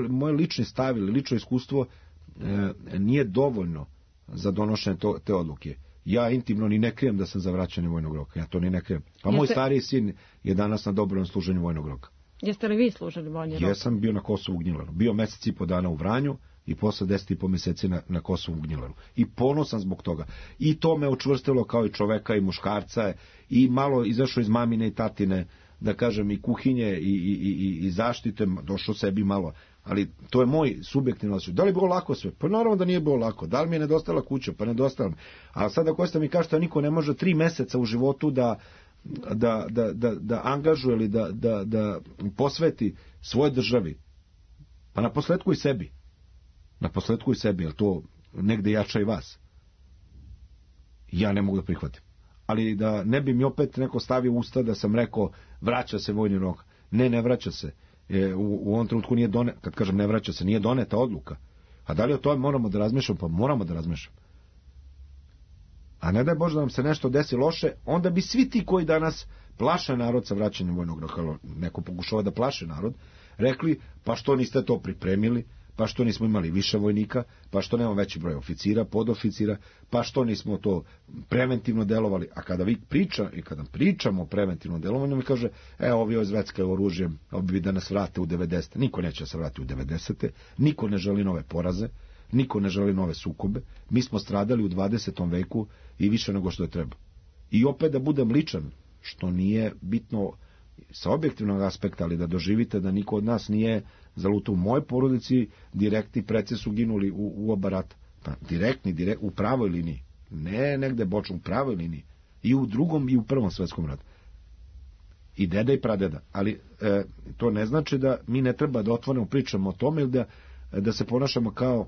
Speaker 3: Moj lični stav ili lično iskustvo nije dovoljno za donošenje te odluke. Ja intimno ni ne krijem da sam za vraćanje vojnog roka. Ja to ni ne krijem. Pa moj stariji sin je danas na dobrovoljnom služenju vojnog roka. Jeste li vi služili vojni rok?
Speaker 4: Jesam bio na Kosovu u Gnjilaru. Bio mesec i po dana u Vranju i posle 10,5 meseci na Kosovu u Gnjilaru. I ponosan zbog toga. I to me učvrstilo kao i čoveka i muškarca i malo izašao iz mamine i tatine, da kažem, i kuhinje i zaštite, došao sebi malo. Ali to je moj subjektivno osjećaj. Da li je bilo lako sve? Pa naravno da nije bilo lako. Da li mi je nedostala kuća? Pa nedostala mi. A sada Kosta mi kaže da niko ne može 3 meseca u životu da angažuje ili da posveti svoje državi. Pa na posledku i sebi. Jer to negde jača i vas. Ja ne mogu da prihvatim. Ali da ne bi mi opet neko stavio usta da sam rekao vraća se vojni rok. Ne vraća se. U ovom trenutku nije doneta, kad kažem ne vraća se, nije doneta odluka. A da li o tome moramo da razmišljamo? Pa moramo da razmišljamo. A ne daj Bože da nam se nešto desi loše, onda bi svi ti koji danas plaše narod sa vraćanjem vojnog roka, neko pokušava da plaše narod, rekli pa što niste to pripremili, pa što nismo imali više vojnika, pa što nemamo veći broj oficira, podoficira, pa što nismo to preventivno delovali. A kada pričamo o preventivnom delovanju, mi kaže, ovi ozveckaju oružjem, ovi da nas vrate u 90. Niko neće se vrati u 90. Niko ne želi nove poraze, niko ne želi nove sukobe. Mi smo stradali u 20. veku i više nego što je treba. I opet da budem ličan, što nije bitno sa objektivnog aspekta, ali da doživite da niko od nas nije zalutao. U mojoj porodici direktni preci su ginuli u oba rata. Pa direktni, u pravoj liniji. Ne negde bočno, u pravoj liniji. I u drugom i u prvom svetskom ratu. I deda i pradeda. Ali to ne znači da mi ne treba da otvoreno pričamo o tome ili da se ponašamo kao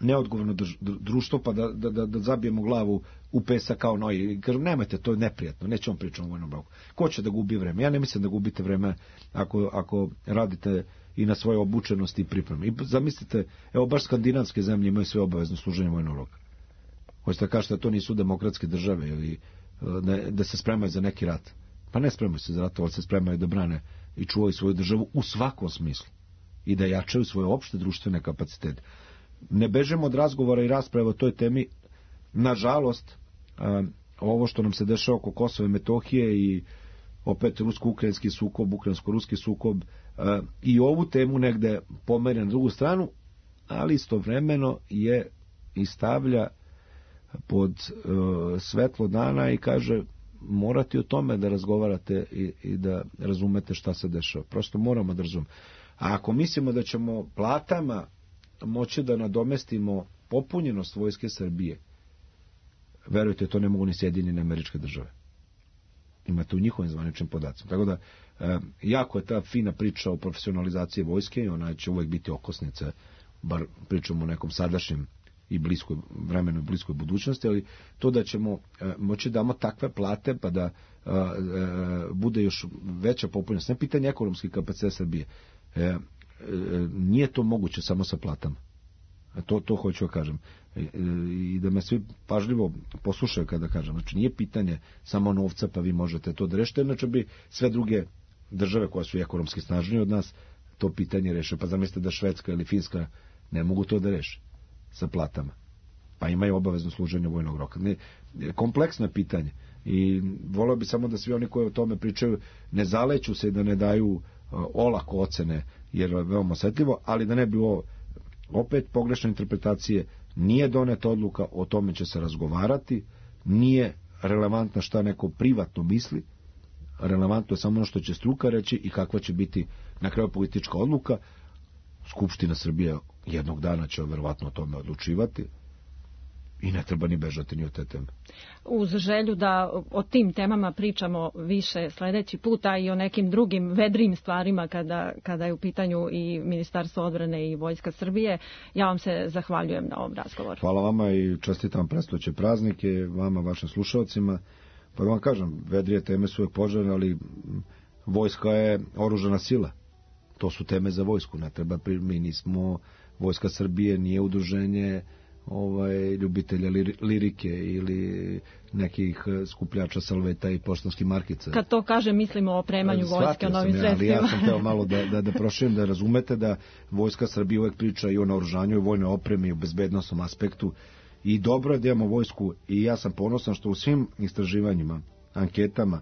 Speaker 4: neodgovorno društvo, pa da zabijemo glavu u pesak kao noji. Kažem, nemojte, to je neprijatno, nećemo pričati o vojnom roku. Ko će da gubi vreme? Ja ne mislim da gubite vreme ako radite i na svoje obučenosti i pripreme. I zamislite, baš skandinavske zemlje imaju sve obavezno služenje vojnog roka. Hoćete da kažete da to nisu demokratske države ili da se spremaju za neki rat. Pa ne spremaju se za rat, ali se spremaju da brane i čuvaju svoju državu u svakom smislu. I da jačaju svoje opšte društvene kapacitete. Ne bežemo od razgovora i rasprave o toj temi. Nažalost, ovo što nam se dešava oko Kosova i Metohije i opet rusko-ukrajinski sukob, ukrajinsko-ruski sukob, i ovu temu negde pomeri na drugu stranu, ali istovremeno je i stavlja pod svetlo dana i kaže morate o tome da razgovarate i da razumete šta se dešava. Prosto moramo da razumemo. A ako mislimo da ćemo platama moći da nadomestimo popunjenost vojske Srbije, verujte, to ne mogu ni Sjedinjene Američke Države. Imate u njihovim zvaničnim podacima. Tako da, jako je ta fina priča o profesionalizaciji vojske i ona će uvijek biti okosnica, bar pričamo o nekom sadašnjem i vremenu bliskoj budućnosti, ali to da ćemo moći da damo takve plate pa da bude još veća popunjenost. Ne pitanje ekonomski kapacitet Srbije. Nije to moguće samo sa platama. To hoću da kažem. I da me svi pažljivo poslušaju kada kažem. Znači nije pitanje samo novca pa vi možete to da rešite, inače bi sve druge države koje su ekonomski snažnije od nas to pitanje reše. Pa zamislite da Švedska ili Finska ne mogu to da reše sa platama. Pa imaju obavezno služenje vojnog roka. Kompleksno je pitanje. I voleo bi samo da svi oni koji o tome pričaju ne zaleću se i da ne daju olako ocene, jer je veoma osetljivo, ali da ne bi ovo opet pogrešne interpretacije, nije doneta odluka, o tome će se razgovarati, nije relevantno šta neko privatno misli, relevantno je samo ono što će struka reći i kakva će biti na kraju politička odluka. Skupština Srbije jednog dana će verovatno o tome odlučivati i ne treba ni bežati ni od te teme.
Speaker 3: Uz želju da o tim temama pričamo više sledeći puta i o nekim drugim vedrim stvarima kada je u pitanju i Ministarstvo odbrane i Vojska Srbije, ja vam se zahvaljujem na ovom razgovoru.
Speaker 4: Hvala vama i čestitam predstojeće praznike, vama, vašim slušalcima. Pa da vam kažem, vedrije teme su uvek poželjne, ali vojska je oružana sila. To su teme za vojsku. Ne treba, mi nismo, Vojska Srbije nije udruženje ljubitelja lirike ili nekih skupljača salveta i poštanskih markica.
Speaker 3: Kad to kažem, mislimo o opremanju vojske, o novim sredstvima.
Speaker 4: Ali ja sam hteo malo da proširim, da razumete da Vojska Srbije uvek priča i o naoružanju, i o vojnoj opremi, i o bezbednosnom aspektu. I dobro je da imamo vojsku i ja sam ponosan što u svim istraživanjima, anketama,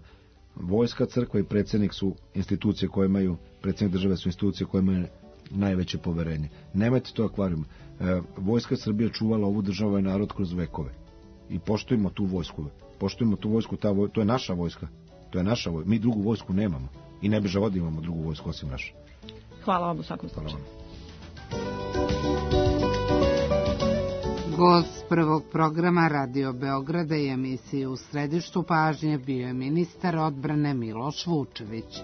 Speaker 4: Vojska, crkva i predsjednik su institucije koje imaju, predsjednik države su institucije koje imaju najveće poverenje. Nemojte to akvarijum. Vojska Srbije čuvala ovu državu i narod kroz vekove. I poštujemo tu vojsku. Poštujemo tu vojsku, to je naša vojska. To je naša vojska. Mi drugu vojsku nemamo. I ne bi želeli da imamo drugu vojsku osim naše.
Speaker 3: Hvala vam u svakom slučaju.
Speaker 2: Gost prvog programa Radio Beograda i emisije U središtu pažnje bio je ministar odbrane Miloš Vučević.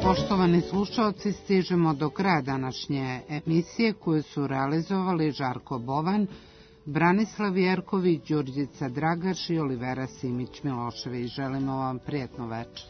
Speaker 2: Poštovani slušaoci, stižemo do kraja današnje emisije koju su realizovali Žarko Bovan, Branislav Jerković, Đurđica Dragaš i Olivera Simić Milošević. Želimo vam prijatno večer.